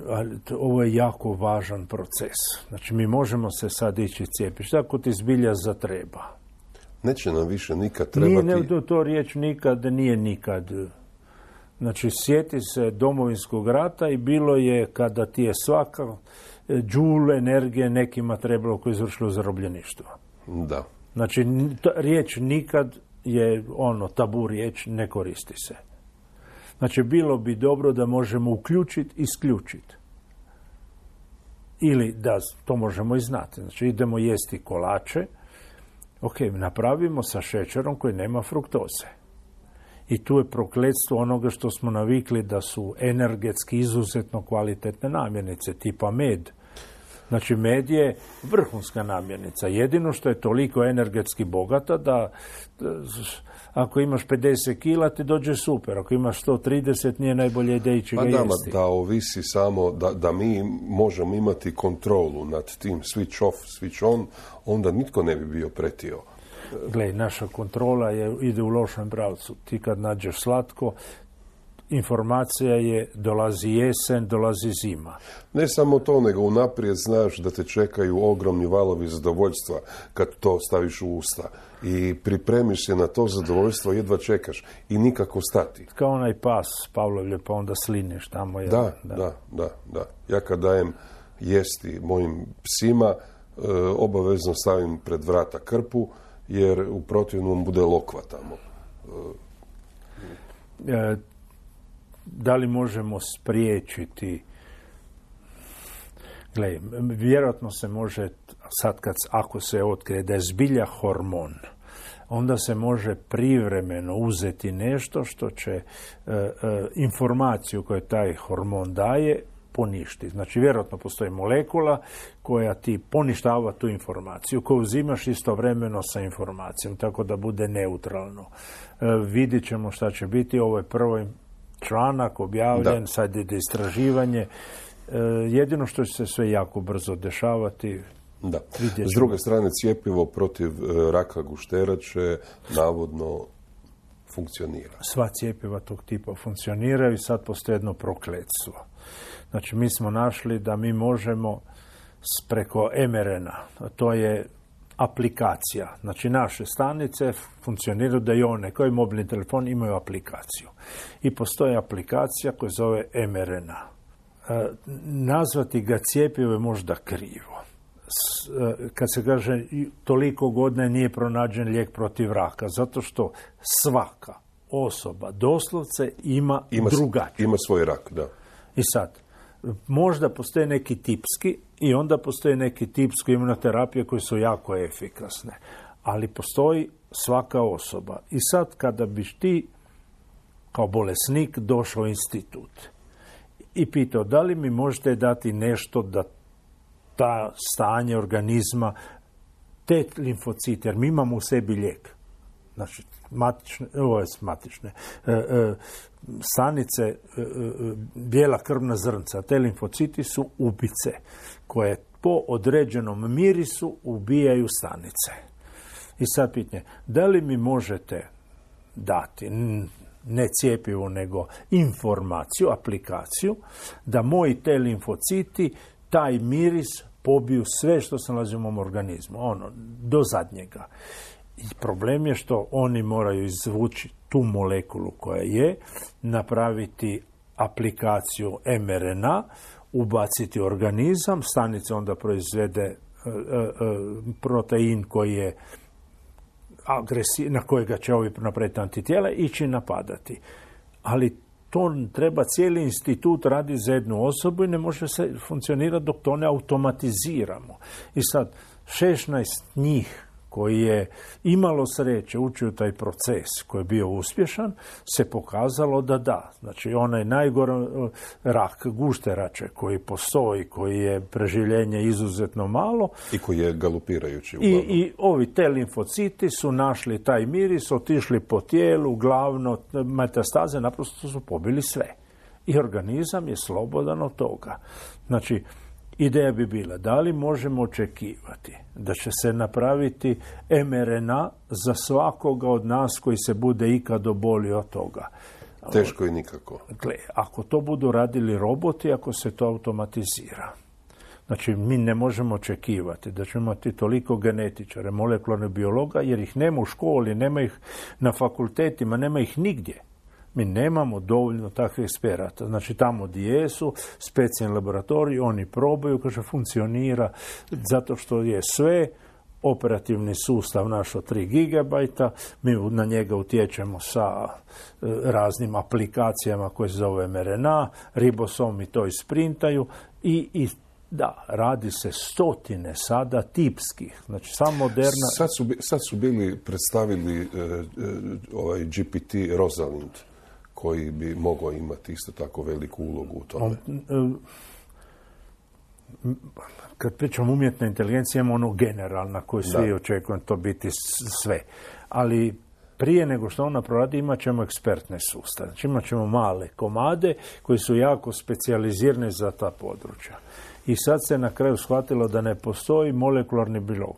ovo je jako važan proces. Znači, mi možemo se sad ići cijepiti. Ako ti zbilja zatreba. Neće nam više nikad trebati... Nije, ne, to riječ nikad nije nikad. Znači, sjeti se Domovinskog rata i bilo je kada ti je svaka džul energije nekima trebalo koji izvršilo zarobljeništvo. Da. Znači, riječ nikad je ono tabu riječ, ne koristi se. Znači, bilo bi dobro da možemo uključiti, isključiti. Ili da to možemo i znati. Znači, idemo jesti kolače, ok, napravimo sa šećerom koji nema fruktoze. I tu je prokletstvo onoga što smo navikli da su energetski izuzetno kvalitetne namirnice, tipa med. Znači, med je vrhunska namirnica. Jedino što je toliko energetski bogata da, da ako imaš pedeset kila ti dođe super. Ako imaš sto trideset nije najbolje ideja ići ga pa jesti. Da, da ovisi samo da, da mi možemo imati kontrolu nad tim switch off, switch on, onda nitko ne bi bio pretio. Gle, naša kontrola je, ide u lošem pravcu. Ti kad nađeš slatko, informacija je dolazi jesen, dolazi zima. Ne samo to, nego unaprijed znaš da te čekaju ogromni valovi zadovoljstva kad to staviš u usta. I pripremiš se na to zadovoljstvo, jedva čekaš i nikako stati. Kao onaj pas Pavlovlje, pa onda sliniš tamo. Je, da, da, da, da, da. Ja kad dajem jesti mojim psima, e, obavezno stavim pred vrata krpu, jer u protivnom bude lokva tamo. E, da li možemo spriječiti? Gle, vjerojatno se može, sad kad, ako se otkrije da je zbilja hormon, onda se može privremeno uzeti nešto što će e, e, informaciju koju taj hormon daje poništi. Znači, vjerojatno postoji molekula koja ti poništava tu informaciju, koju uzimaš istovremeno sa informacijom, tako da bude neutralno. E, vidit ćemo šta će biti. Ovo je prvi članak objavljen, da. Sad ide istraživanje. E, jedino što će se sve jako brzo dešavati. Da. S druge strane, cjepivo protiv e, raka gušterače navodno funkcionira. Sva cjepiva tog tipa funkcioniraju i sad postoji jedno prokletstvo. Znači, mi smo našli da mi možemo preko em er en a, to je aplikacija. Znači, naše stanice funkcioniraju da i one koji mobilni telefon imaju aplikaciju. I postoji aplikacija koja zove em er en a. E, nazvati ga cjepivo je možda krivo. S, e, kad se kaže toliko godine nije pronađen lijek protiv raka, zato što svaka osoba doslovce ima, ima drugačije. Ima svoj rak, da. I sad, možda postoje neki tipski i onda postoje neki tipski imunoterapije koje su jako efikasne. Ali postoji svaka osoba. I sad kada biš ti kao bolesnik došao u institut i pitao da li mi možete dati nešto da ta stanje organizma, te limfocite, jer mi imamo u sebi lijek. Znači, matične, ovo je matične, e, e, stanice, e, e, bijela krvna zrnca, te limfociti su ubice koje po određenom mirisu ubijaju stanice. I sad pitanje, da li mi možete dati, ne cjepivo, nego informaciju, aplikaciju, da moji te limfociti, taj miris pobiju sve što se nalazi u mom organizmu, ono, do zadnjega. I problem je što oni moraju izvući tu molekulu koja je, napraviti aplikaciju em er en a, ubaciti organizam, stanica onda proizvede e, e, protein koji je agresiv, na kojega će ovi napraviti antitijela, ići napadati. Ali to treba cijeli institut radi za jednu osobu i ne može se funkcionirati dok to ne automatiziramo. I sad, šesnaest njih koji je imalo sreće ući u taj proces koji je bio uspješan, se pokazalo da da. Znači, onaj najgore rak gušterače koji postoji, koji je preživljenje izuzetno malo. I koji je galopirajući. I, I ovi te limfociti su našli taj miris, otišli po tijelu, glavno metastaze, naprosto su pobili sve. I organizam je slobodan od toga. Znači, ideja bi bila, da li možemo očekivati da će se napraviti em er en a za svakoga od nas koji se bude ikad obolio od toga. Teško i nikako. Gle, ako to budu radili roboti, ako se to automatizira. Znači, mi ne možemo očekivati da ćemo imati toliko genetičara, molekularnih biologa, jer ih nema u školi, nema ih na fakultetima, nema ih nigdje. Mi nemamo dovoljno takvih eksperata. Znači, tamo gdje jesu, specijalni laboratoriji, oni probaju, kaže, funkcionira, zato što je sve, operativni sustav naš od tri gigabajta, mi na njega utječemo sa raznim aplikacijama koje se zove em er en a, ribosomi to isprintaju i, i da, radi se stotine sada tipskih. Znači, samo moderna... Sad su, sad su bili predstavili uh, uh, ovaj G P T Rosalind, koji bi mogao imati isto tako veliku ulogu u tome. Kad pričamo umjetna inteligencija, imamo ono generalna koju svi očekujem to biti sve. Ali prije nego što ona proradi, imat ćemo ekspertne sustave. Znači, imat ćemo male komade koji su jako specijalizirani za ta područja. I sad se na kraju shvatilo da ne postoji molekularni biolog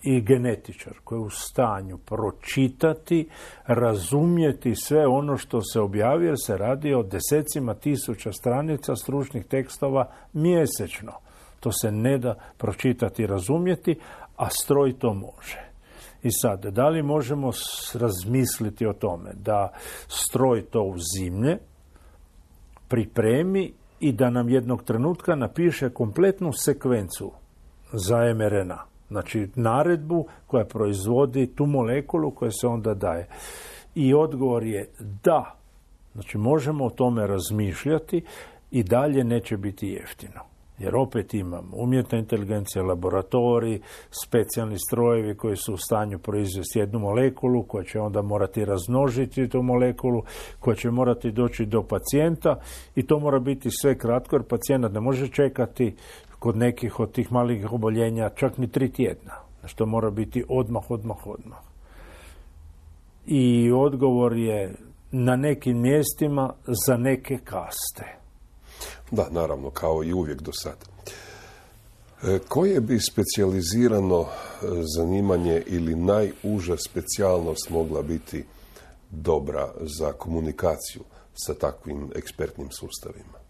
i genetičar koji je u stanju pročitati, razumjeti sve ono što se objavi, jer se radi o desecima tisuća stranica stručnih tekstova mjesečno. To se ne da pročitati i razumjeti, a stroj to može. I sad, da li možemo razmisliti o tome da stroj to uzimlje, pripremi i da nam jednog trenutka napiše kompletnu sekvencu za em er en a. Znači, naredbu koja proizvodi tu molekulu koja se onda daje. I odgovor je da. Znači, možemo o tome razmišljati i dalje neće biti jeftino. Jer opet imamo umjetna inteligencija, laboratoriji, specijalni strojevi koji su u stanju proizvesti jednu molekulu, koja će onda morati razmnožiti tu molekulu, koja će morati doći do pacijenta i to mora biti sve kratko, jer pacijent ne može čekati kod nekih od tih malih oboljenja čak ni tri tjedna. Znači, to mora biti odmah, odmah, odmah. I odgovor je na nekim mjestima za neke kaste. Da, naravno, kao i uvijek do sada. E, koje bi specijalizirano zanimanje ili najuža specijalnost mogla biti dobra za komunikaciju sa takvim ekspertnim sustavima?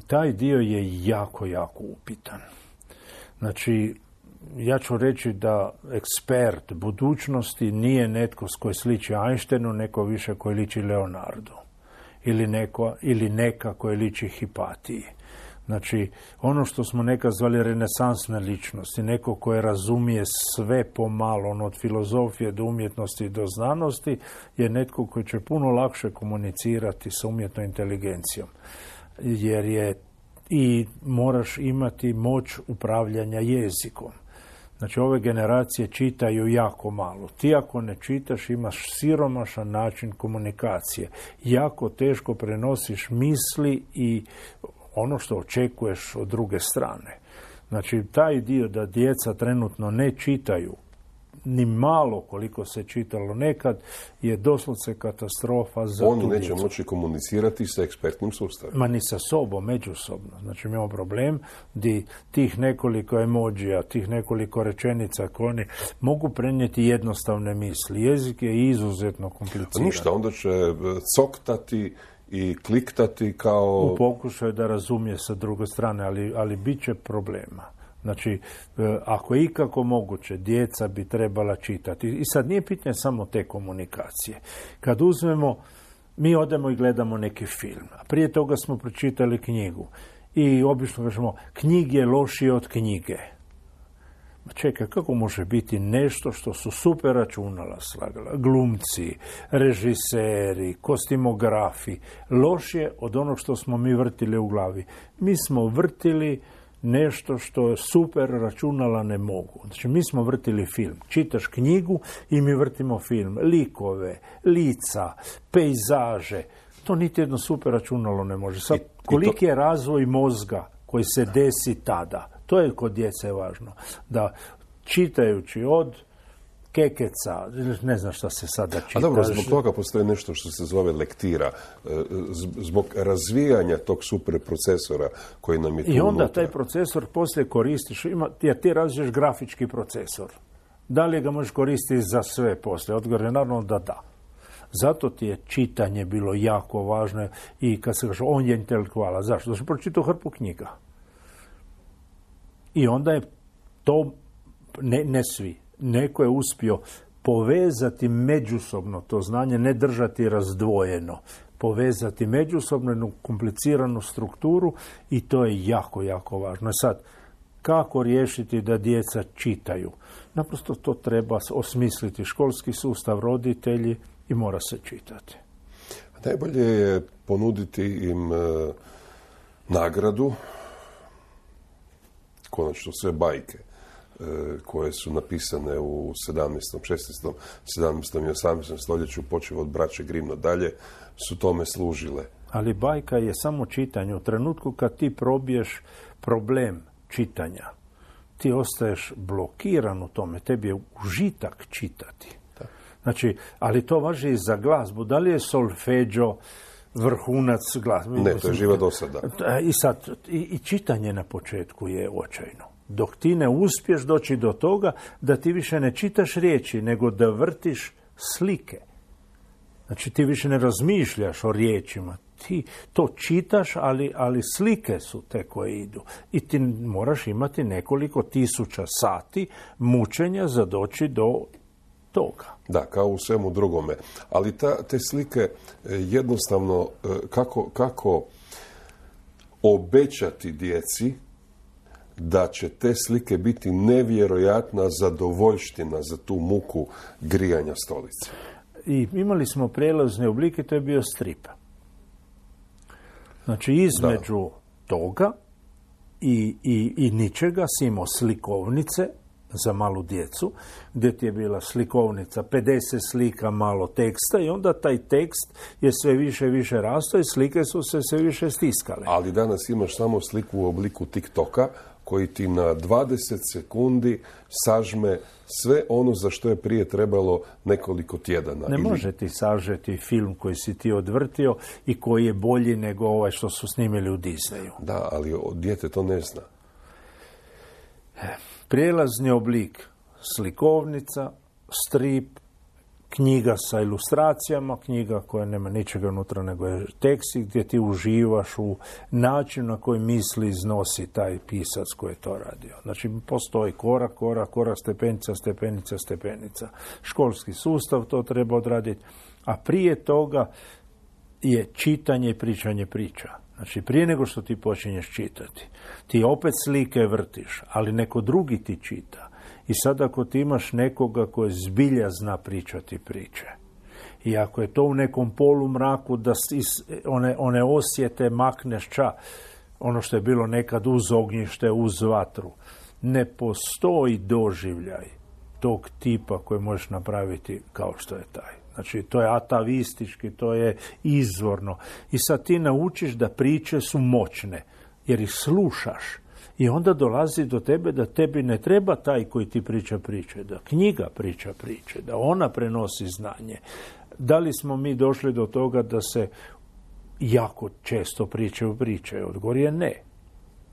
Taj dio je jako, jako upitan. Znači, ja ću reći da ekspert budućnosti nije netko s koji sliči Einsteinu, neko više koji liči Leonardu. Ili, neko, ili neka koji liči Hipatiji. Znači, ono što smo nekad zvali renesansne ličnosti, neko koje razumije sve pomalo, ono od filozofije do umjetnosti do znanosti, je netko koji će puno lakše komunicirati sa umjetnom inteligencijom. Jer je i moraš imati moć upravljanja jezikom. Znači, ove generacije čitaju jako malo. Ti ako ne čitaš, imaš siromašan način komunikacije. Jako teško prenosiš misli i ono što očekuješ od druge strane. Znači, taj dio da djeca trenutno ne čitaju, ni malo koliko se čitalo nekad, je doslovce katastrofa za Oni tu neće djecu. moći komunicirati sa ekspertnim sustavima. Ma ni sa sobom, međusobno. Znači, imamo problem di tih nekoliko emojija, tih nekoliko rečenica koje oni mogu prenijeti jednostavne misli. Jezik je izuzetno kompliciran. Ništa, onda će coktati i kliktati kao... U pokušaju da razumije sa druge strane, ali, ali bit će problema. Znači, ako je ikako moguće, djeca bi trebala čitati. I sad nije pitanje samo te komunikacije. Kad uzmemo, mi odemo i gledamo neki film. A prije toga smo pročitali knjigu. I obično kažemo, knjig je lošije od knjige. Ma čekaj, kako može biti nešto što su super računala slagala? Glumci, režiseri, kostimografi, lošije od onog što smo mi vrtili u glavi. Mi smo vrtili nešto što super računala ne mogu. Znači, mi smo vrtili film. Čitaš knjigu i mi vrtimo film. Likove, lica, pejzaže. To niti jedno super računalo ne može. Sad, koliki je razvoj mozga koji se desi tada? To je kod djece važno. Da čitajući od kekeca, ne znam šta se sada čita. A dobro, zbog toga postoji nešto što se zove lektira. Zbog razvijanja tog super procesora koji nam je tu I onda unutra. taj procesor poslije koristiš, ima, jer ti razviješ grafički procesor. Da li ga možeš koristiti za sve poslije? Odgovor je naravno da da. Zato ti je čitanje bilo jako važno i kad se kaže on je intelektualac. Zašto? Da sam pročitao hrpu knjiga. I onda je to, ne, ne svi, neko je uspio povezati međusobno to znanje, ne držati razdvojeno, povezati međusobno jednu kompliciranu strukturu i to je jako, jako važno. Sad, kako riješiti da djeca čitaju? Naprosto to treba osmisliti školski sustav, roditelji i mora se čitati. Najbolje je ponuditi im e, nagradu, konačno sve bajke e, koje su napisane u sedamnaestom, šesnaestom, sedamnaestom i osamnaestom stoljeću, počev od braće Grimm dalje, su tome služile. Ali bajka je samo čitanje. U trenutku kad ti probiješ problem čitanja, ti ostaješ blokiran u tome. Tebi je užitak čitati. Da. Znači, ali to važi i za glazbu. Da li je solfeđo vrhunac glazbe? Ne, to je živa dosada. I sad, i, i čitanje na početku je očajno. Dok ti ne uspiješ doći do toga da ti više ne čitaš riječi, nego da vrtiš slike. Znači, ti više ne razmišljaš o riječima. Ti to čitaš, ali, ali slike su te koje idu. I ti moraš imati nekoliko tisuća sati mučenja za doći do toga. Da, kao u svemu drugome. Ali ta, te slike jednostavno, kako, kako obećati djeci da će te slike biti nevjerojatna zadovoljština za tu muku grijanja stolice. I imali smo prijelazne oblike, to je bio strip. Znači, između da. toga i, i, i ničega si imao slikovnice za malu djecu, gdje ti je bila slikovnica, pedeset slika, malo teksta i onda taj tekst je sve više i više rastao i slike su se sve više stiskale. Ali danas imaš samo sliku u obliku TikToka koji ti na dvadeset sekundi sažme sve ono za što je prije trebalo nekoliko tjedana. Ne Ili... može ti sažeti film koji si ti odvrtio i koji je bolji nego ovaj što su snimili u Disneyu. Da, ali dijete to ne zna. Prijelazni oblik, slikovnica, strip, knjiga sa ilustracijama, knjiga koja nema ničega unutra nego je tekst gdje ti uživaš u načinu na koji misli iznosi taj pisac koji je to radio. Znači, postoji korak, korak, korak, stepenica, stepenica, stepenica. Školski sustav to treba odraditi, a prije toga je čitanje i pričanje priča. Znači, prije nego što ti počinješ čitati, ti opet slike vrtiš, ali neko drugi ti čita. I sad ako ti imaš nekoga koji zbilja zna pričati priče, i ako je to u nekom polumraku da iz one, one osjete makneš ča, ono što je bilo nekad uz ognjište, uz vatru, ne postoji doživljaj tog tipa koji možeš napraviti kao što je taj. Znači, to je atavistički, to je izvorno. I sad ti naučiš da priče su moćne, jer ih slušaš. I onda dolazi do tebe da tebi ne treba taj koji ti priča priče, da knjiga priča priče, da ona prenosi znanje. Da li smo mi došli do toga da se jako često pričaju priče? Odgovor je ne.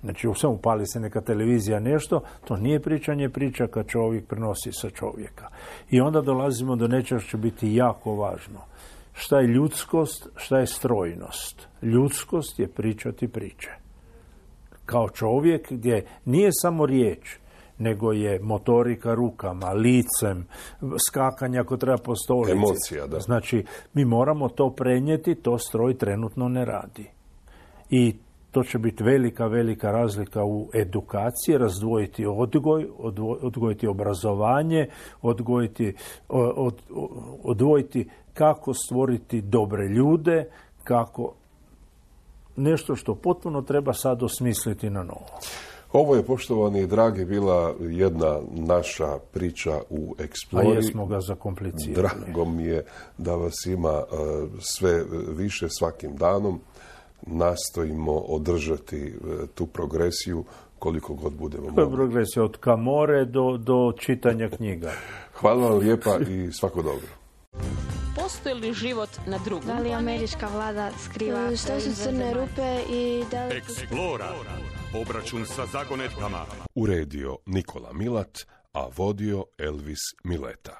Znači, samo upali se neka televizija nešto, to nije pričanje priča kad čovjek prenosi sa čovjeka. I onda dolazimo do nečega što će biti jako važno. Šta je ljudskost, šta je strojnost? Ljudskost je pričati priče. Kao čovjek gdje nije samo riječ, nego je motorika rukama, licem, skakanja ako treba po stolici. Emocija, da. Znači, mi moramo to prenijeti, to stroj trenutno ne radi. I to će biti velika, velika razlika u edukaciji, razdvojiti odgoj, odvoj, odgojiti obrazovanje, odgojiti, od, odvojiti kako stvoriti dobre ljude, kako nešto što potpuno treba sad osmisliti na novo. Ovo je, poštovani i dragi, bila jedna naša priča u Explori. A jesmo ga zakomplicirali. Drago mi je da vas ima uh, sve više svakim danom. Nastojimo održati uh, tu progresiju koliko god budemo mogli. To je progresija od Kamore do, do čitanja knjiga. Hvala vam lijepa i svako dobro. Postoji li život na drugom? Da li američka vlada skriva što su crne rupe i da li... Explora. Obračun sa zagonetkama. Uredio Nikola Milat, a vodio Elvis Mileta.